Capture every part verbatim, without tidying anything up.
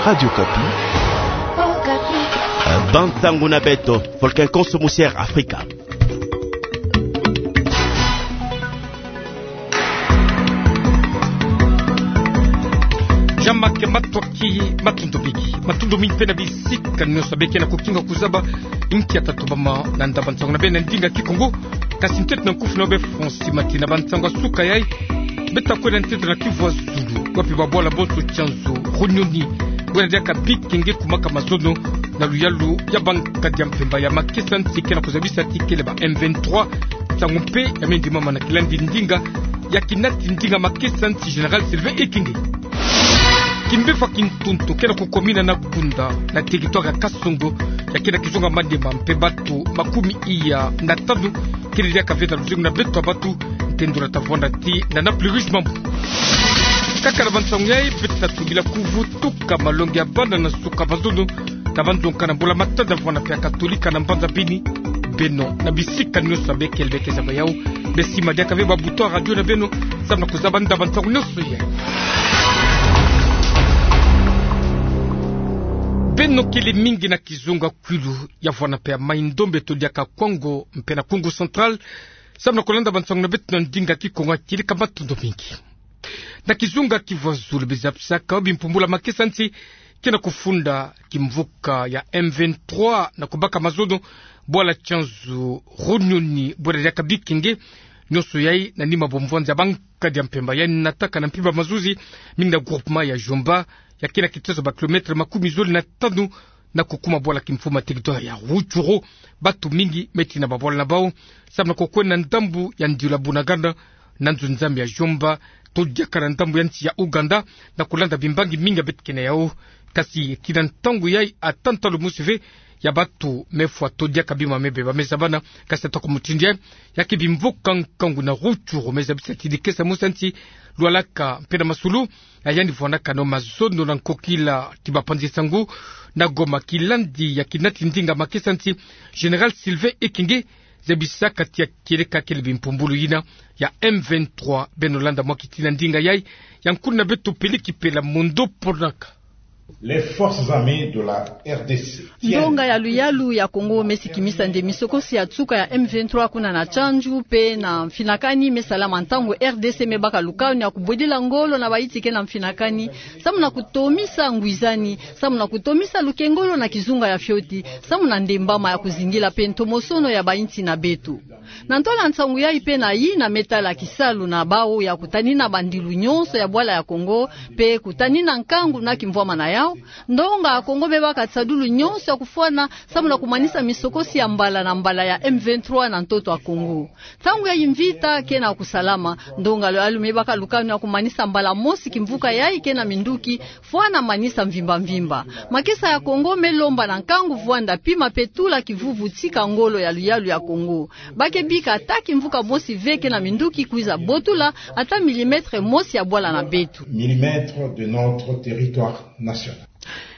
Radio Okapi. Bansangu na beto, Volcan Konso Musière Afrika. Jama ke matwaki, matondo mingi. Matondo mingi pe na bisika nyonso beke na kukinga kuzaba inkia tatuba ma na ndaba nsangu na beno na ndinga Kikongo. Kasi ntete na nkufi na beno Francis Mati na bansangu ya suka yai. Beta kwenda ntete na Kivu ya Zulu, wapi babwala bonso Tchanzu, Runyoni, bwena diaka Bikenge kumaka mazono na luyalu ya bankadi ya mpemba ya makesa nsi ke na kuzabisa ti kele ba M vingt-trois, nsangu mpe ya mendimama na kilandi ndinga ya kinati ndinga makesa nsi Général Sylvain Ekenge. Kimbevo ya kintuntu ke na kukomina na Kunda na territoire ya Kasongo, ya ke na kizunga Maniema, mpe bato makumi iya na tanu kele diaka ve na luzingu na beto ya bato, ntendula tavwanda ti na na plus riche mambu. Kaka na bansangu yai, beta tungila kuvutuka malongi ya bana na suka mazono na banzonga na mbula matadi ya vwanda mpe ya Katolika na mbanza Beni. Beno na bisika nyonso beke beke zaba yau, besi madiaka ve ba bouton ya radio na beno, samu na kuzaba ndaba nsangu nyonso yai. Beno kele mingi na kizunga Kwilu ya vwanda mpe ya Mai-Ndombe to diaka Kwango mpe na Kongo Central, samu na kulanda bansangu na beto na ndinga Kikongo, ya kele ka matondo mingi. Na kizunga Kivu ya Zulu, beza pisaka bimpumbulu ya makesa nsi ke na kufunda kimvuka ya M vingt-trois na kubaka mazono bwala Tchanzu, Runyoni, bwena diaka Bikenge, nyonso yai na nima bomvwanzi ya bankadi ya mpemba yai nataka na mpimpa mazuzi mingi na groupement ya Jomba, ya ke na kitezo ba kilomètre makumi zole na tanu na kukuma bwala kimfumu ya territoire ya Rutshuru. Bato mingi me tina babwala na bau, samu na kukwenda na ndambu ya ndiula Bunagana, na nzo nzambi ya Jomba, to diaka na ndambu ya nsi ya Ouganda, na kulanda bimbangi mingi ya beto ke na yau. Kasi kina ntangu yai, ata ntalu mosi ve ya bato me fwa to diaka bima me beba me zabana. Kasi ata ku mutindu yai, ya ke bimvuka nkangu na Rutshuru me zabisa ti dikesa mosi ya nsi, lwalaka mpe na masulu, ya yandi vwandaka nao mazono na nkokila ti bapanzi nsangu na Goma, kilandi ya kinati ndinga makesa nsi Général Sylvain Ekenge, zabisaka ti ya kieleka kele bimpumbulu yina ya M vingt-trois. Beno landa mwa kitina ndinga yai ya nkuna beto Peliki Pela Mondo Ponaka. Les forces armées de la R D C. Ndonga ya luyalu ya Kongo me sikimisa nde misokosi ya nsuka ya M vingt-trois kuna na Tchanzu, mpe na mfinakani me salama ntangu R D C me baka lukanu ya kubwedila ngolo na bayinti ke na mfinakani, samu na kutomisa ngwizani, samu na kutomisa lukengolo na kizunga ya fioti, samu na ndembama ya kuzingila mpe ntomosono ya bayinti na beto. Na ntola nsangu yai mpe na yina me tala kisalu na bau ya kutanina bandilu nyonso ya bwala ya Kongo, mpe kutanina nkangu na kimvwama na yau, ndonga ya Kongo me baka nsadulu nyonso ya kufwana, samu na kumanisa misokosi ya mbala na mbala ya M vingt-trois na ntoto ya Kongo. Ntangu ya mvita ke na kusalama, ndonga ya luyalu me baka lukanu ya kumanisa mbala mosi kimvuka yai ke na minduki, fwana manisa mvimba mvimba. Makesa ya Kongo me lomba na nkangu vwanda pima mpe tula kivuvu tika ngolo ya luyalu ya Kongo. Ba ke bika ata kimvuka mosi ve ke na minduki kwiza botula ata millimètre mosi ya bwala na beto. Millimètre de notre territoire national.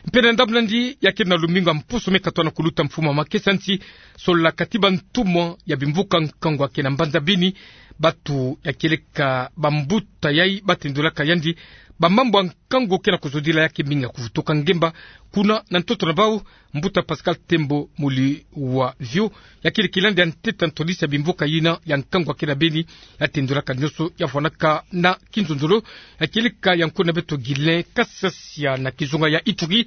Mpe na ndambu nandi, ya ke na lumingu ya mpusu me katwa na kuluta mfumu ya makesa nsi, solola kati bantumwa ya bimvuka nkangu ya ke na mbanza Beni, bato ya kieleka bambuta yai ba tendolaka yandi bamambu ya nkangu ke na kuzodila ya ke mingi ya kuvutuka ngemba kuna na ntoto na bau. Mbuta Pascal Tembo Muli wa Vio, ya kele kilandi ya ntete ya ntwadisi ya bimvuka yina ya nkangu ya ke na Beni, ya tendolaka nyonso ya vwanaka na kinzonzolo, ya kieleka ya nkuna beto Guylain Kasasia na kizunga ya Ituri,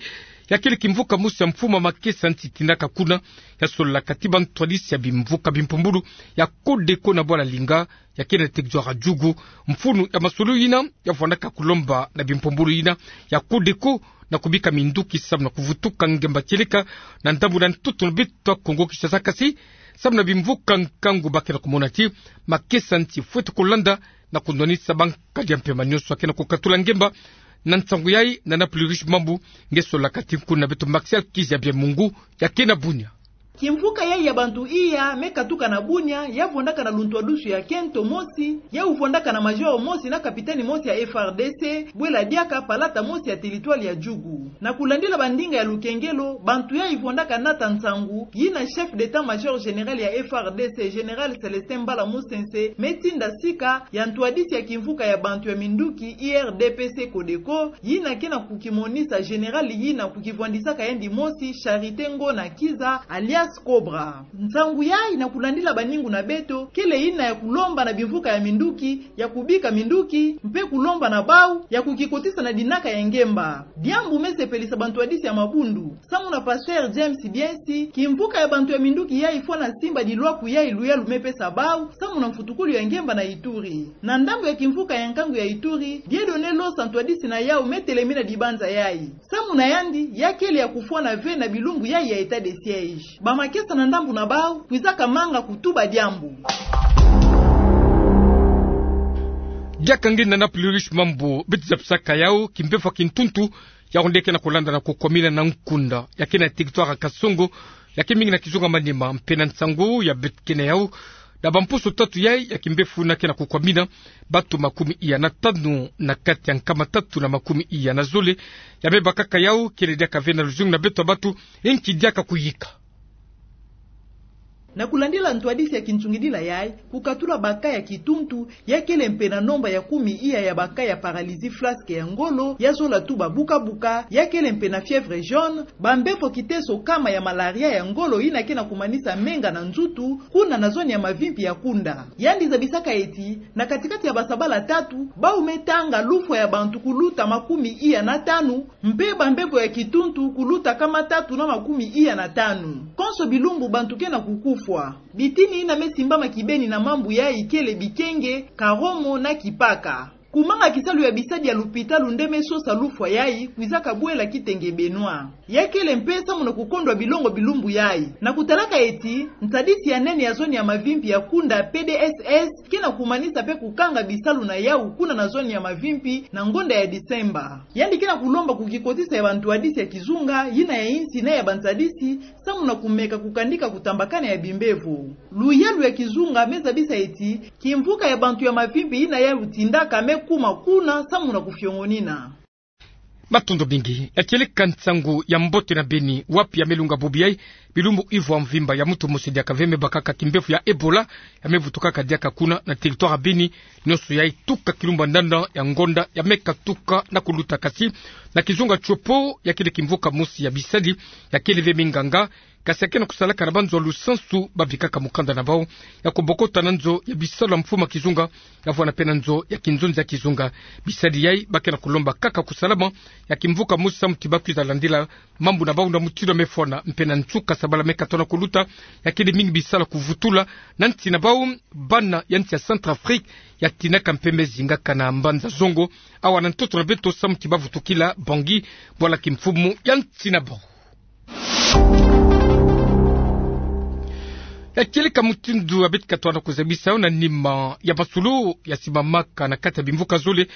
ya kele kimvuka mosi ya mfumu ya makesa nsi tindaka kuna, ya solola kati bantwadisi ya bimvuka bimpumbulu ya Codeco na bwala Linga, ya ke na territoire ya Djugu. Mfunu ya masolo yina ya vwandaka kulomba na bimpumbulu yina ya Codeco na kubika minduki samu na kuvutuka ngemba kieleka na ndambu na ntoto na beto ya Kongo Kinshasa, kasi samu na bimvuka nkangu ba ke na kumona ti makesa nsi fwete kulanda na kundwanisa bankadi ya mpemba nyonso ya ke na kukatula ngemba. Na nsangu yai na na plus riche mambu, nge solola kati nkuna beto Martial Kizabia Mungu, ya ke na Bunia. Kimvuka yayi ya bantu iya me katuka na Bunia, ya vwandaka na luntwadusu ya kento mosi, ya uvwandaka na major mosi na capitaine mosi ya F R D C, bwela diaka palata mosi ya territoire ya Djugu. Na kulandila bandinga ya lukengelo, bantu yayi vwandaka nata nsangu, yina chef d'état-major général ya F R D C, général Célestin Mbala Musense, me tinda sika ya ntwadisi ya kimvuka ya bantu ya minduki, I R D P C Codeco, yina ke na kukimonisa général yina kukivwandisaka yandi mosi, Charité Ngona Kiza, alias Cobra. Nsangu yayi na kulandila baningu na beto, kele yina ya kulomba na bimvuka ya minduki, ya kubika minduki, mpe kulomba na bau, ya kukikotisa na dinaka ya ngemba. Diambu me sepelisa bantwadisi ya mabundu. Samu na pasteur James Biensi, kimvuka ya bantu ya minduki yayi fwana simbadi lwaku yayi luyalu me pesa bau, samu na mfutukulu ya ngemba na Ituri. Na ndambu ya kimvuka ya nkangu ya Ituri, Dieudonné Losa ntwadisi na yau me telemina dibanza yayi. Samu na yandi, ya kele ya kufwana ve na bilumbu yayi ya état de siège. Bamakesa na ndambu na bau, kwizaka manga kutuba diambu. Diaka nge na Nana Plurish Mambu, beti zabisaka yau, kimbevo ya kintuntu, yau nde ke na kulanda na kukwamina na nkunda, ya ke na territoire Kasongo, ya ke mingi na kizunga Maniema, mpe na nsangu ya beti ke na yau, na bamposo tatu yayi ya kimbevo na ke na kukwamina, batu makumi iya na tanu na kati ya nkama tatu na makumi iya na zole, ya me bakaka yau, kele diaka ve na luzungu na beto ya batu, nki diaka kuyika. Na kulandila ntwadisi ya kintungidila yayi, kukatula ba cas ya kituntu, ya kele mpe na nomba ya kumi iya ya ba cas ya paralysie flasque ya ngolo, ya zola tuba buka-buka, ya kele mpe na fièvre jaune, bambevo kiteso kama ya malaria ya ngolo yina ke na kumanisa menga na nzutu, kuna na zone ya Mavimpi ya Kunda. Yandi zabisaka eti, na kati-kati ya basabala tatu, bau me tanga lufwa ya bantu kuluta makumi iya na tanu, mpe bambevo ya kituntu kuluta kama tatu na makumi iya na tanu. Konso bilumbu bantu ke na kukufwa. Bitini yina me simbama kibeni na mambu yayi kele bikenge, karomo na kipaka. Kumanga kisalu ya bisadi ya lupitalu nde me sosa lufwa yayi, kwizaka bwela Kitenge Benoît. Ya kele mpe samu na kukondwa bilongo bilumbu yayi. Na kutalaka eti, ntadisi ya nene ya zone ya Mavimpi ya Kunda, P D S S, ke na kumanisa mpe kukanga bisalu na yau kuna na zone ya Mavimpi na ngonda ya Disemba. Yandi ke na kulomba kukikotisa ya bantwadisi ya kizunga, yina ya insi na ya bantadisi, samu na kumeka kukandika kutambakana ya bimbevo. Luyalu ya kizunga me zabisa eti, kimvuka ya bantu ya Mavimpi yina yau tindaka me kuma kuna samu na kufiongonina. Matondo mingi. Ya kieleka nsangu ya mbote na Beni, wapi ya me lunga bubu yayi, bilumbu ivwa mvimba ya muntu mosi diaka ve me bakaka kimbevo ya Ebola, ya me vutukaka diaka kuna na territoire ya Beni, nionso yayi tuka kilumbu ya nana ya ngonda ya me katuka na kuluta. Kasi, na kizunga Tshopo, ya kele kimvuka mosi ya bisadi, ya kele ve minganga, kasi ya ke na kusalaka na banzo ya lusansu, babikaka mukanda na bau, ya kubokota na nzo ya bisalu ya mfumu ya kizunga, ya vwanda mpe na nzo ya kinzonzi ya kizunga. Bisadi yayi, ba ke na kulomba kaka kusalama ya kimvuka mosi samu ti ba kwiza landila mambu na bau na mutindu ya me fwana, mpe na nsuka sabala me katono kuluta, ya kele mingi bisalu ya kuvutula na nsi na bau, bana ya nsi ya Centrafrique, ya tinaka mpe me zingaka na mbanza zongo, awa na ntoto na beto samu ti ba vutukila Bangui, bwala kimfumu ya nsi na bau. Ya kieleka mutindu ya beti katono kuzabisa yo na nima ya masolo ya simamaka na kati ya bimvuka zole,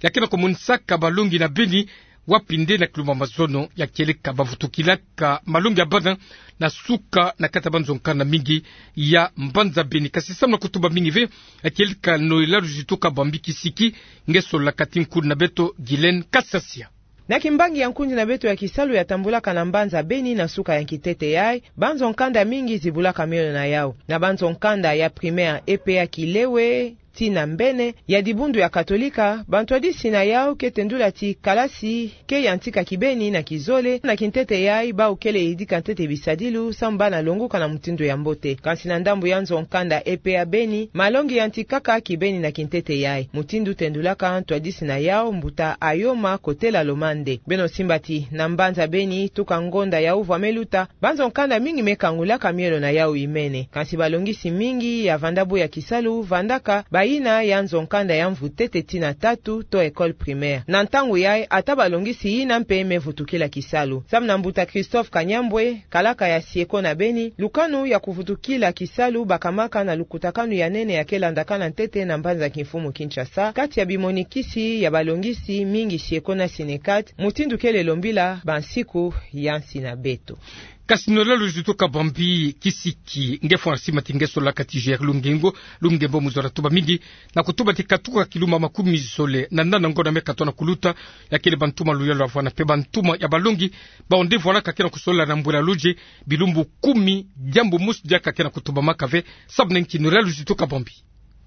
ya ke na kumonisaka balongi na Beni, wapi nde na kilumbu ya mazono, ya kieleka bavutukilaka malongi ya bana na suka na kati ya banzo nkanda mingi ya mbanza Beni. Kasi samu na kutuba mingi ve, ya kieleka Noëlla Luzituka Bambi Kisiki, nge solola kati nkundi na beto Guylaine Kasasia. Na kimbangi ya nkundi na beto ya kisalu ya tambulaka na mbanza Beni na suka ya kintete yayi, banzo nkanda mingi zibulaka miolo na yau. Na banzo nkanda ya primaire E P A Kilewe tii na Mbene ya dibundu ya Katolika, bantwadisi na yau ke tendula ti kalasi ke yantika kibeni na kizole. Na kintete yayi, bau kele yidika ntete bisadilu samu bana longuka na mutindu ya mbote. Kansi na ndambu ya nzo nkanda E P A Beni, malongi yantikaka kibeni na kintete yayi, mutindu tendulaka ntwadisi na yau, mbuta Ayoma Kotela Lomande. Beno simba ti na mbanza Beni, tuka ngonda ya uvwa me luta, banzo nkanda mingi me kangulaka miolo na yau imene. Kansi balongisi mingi ya vanda bo ya kisalu vandaka bayina ya nzo nkanda ya mvu tete tii na tatu to école primaire. Na ntangu yayi, ata balongisi yina mpe me vutukila kisalu. Samu na mbuta Christophe Kanyambwe, kalaka ya Sieko na Beni, lukanu ya kuvutukila kisalu bakamaka na lukutakanu ya nene ya ke landakana ntete na mbanza kimfumu Kinshasa, kati ya bimonikisi ya balongisi mingi Sieko na Synecat, mutindu kele lombila bansiku ya nsi na beto. Kasi nolalo Zituka Bambi kisiki nge fwana simanti nge sola kati J R Lungengo, Lungembo mu zola tuba mingi, na kutuba ti katuka kiluma makumi zole na nana ngonda me katona kuluta, ya kele bantumwa luyalu ya vwana mpe bantumwa ya balongi, bawu nde vwana ka kena kusola na mbwela luze, bilumbu kumi, diambu mosi diaka kena kutubamaka ve. Samu na nki nolalo Zituka Bambi?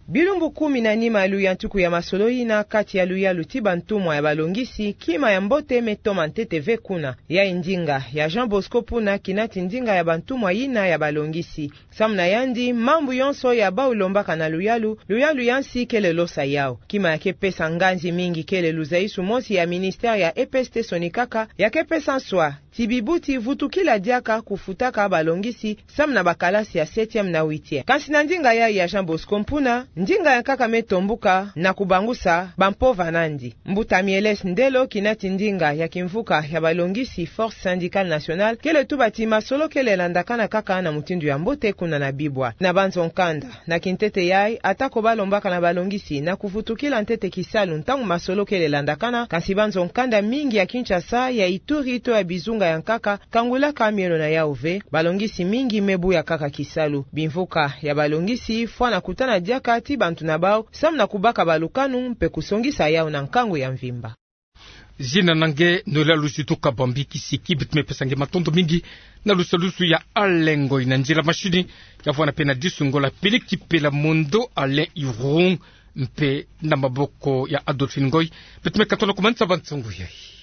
Bilumbu kumi na nima ya luyantiku ya masolo yina kati ya luyalu ti bantumwa ya balongisi, kima ya mbote me toma ntete ve kuna. Yayi ndinga ya Jean Bosco Mpuna kina ti ndinga ya bantumwa yina ya balongisi. Samu na yandi, mambu yonso ya bawu lombaka na luyalu, luyalu ya nsi kele losa yawu. Kima ya ke pesa nganzi mingi kele luzaisu mosi ya ministère ya E P S T sonikaka, ya ke pesa nswa ti bibuti vutukila diaka kufutaka balongisi, samu na bakalasi ya septième na huitième. Kansi na ndinga yayi ya Jean Bosco Mpuna, ndinga ya nkaka me tombuka na kubangusa bampova nandi. Mbuta Mieles Ndelo kina ti ndinga ya kimvuka ya balongisi Force Syndicale Nationale kele tuba ti masolo kele landakana kaka na mutindu ya mbote kuna na bibwa. Na banzo nkanda, na kintete yayi, atako balombaka na balongisi na kuvutukila ntete kisalu ntangu masolo kele landakana, kansi banzo nkanda mingi ya Kinshasa, ya Ituri to ya bizunga ya nkaka, kangulaka mielo na yawu ve, balongisi mingi me buya kaka kisalu. Bimvuka ya balongisi fwana kutana diaka ti bantu na bawu, samu na kubaka balukanu mpe kusongisa yawu na nkangu ya mvimba. Zina na nge nolalo Zituka Bambi kisiki. Beto me pesa nge matondo mingi na lusalusu ya Alain Ngoy, na nzila mashini ya vwana mpe na disu ngola Peleki Pela Mondo, Alain Irung, mpe na maboko ya Adolphine Ngoy. Beto me katona kumanisa bansangu yayi.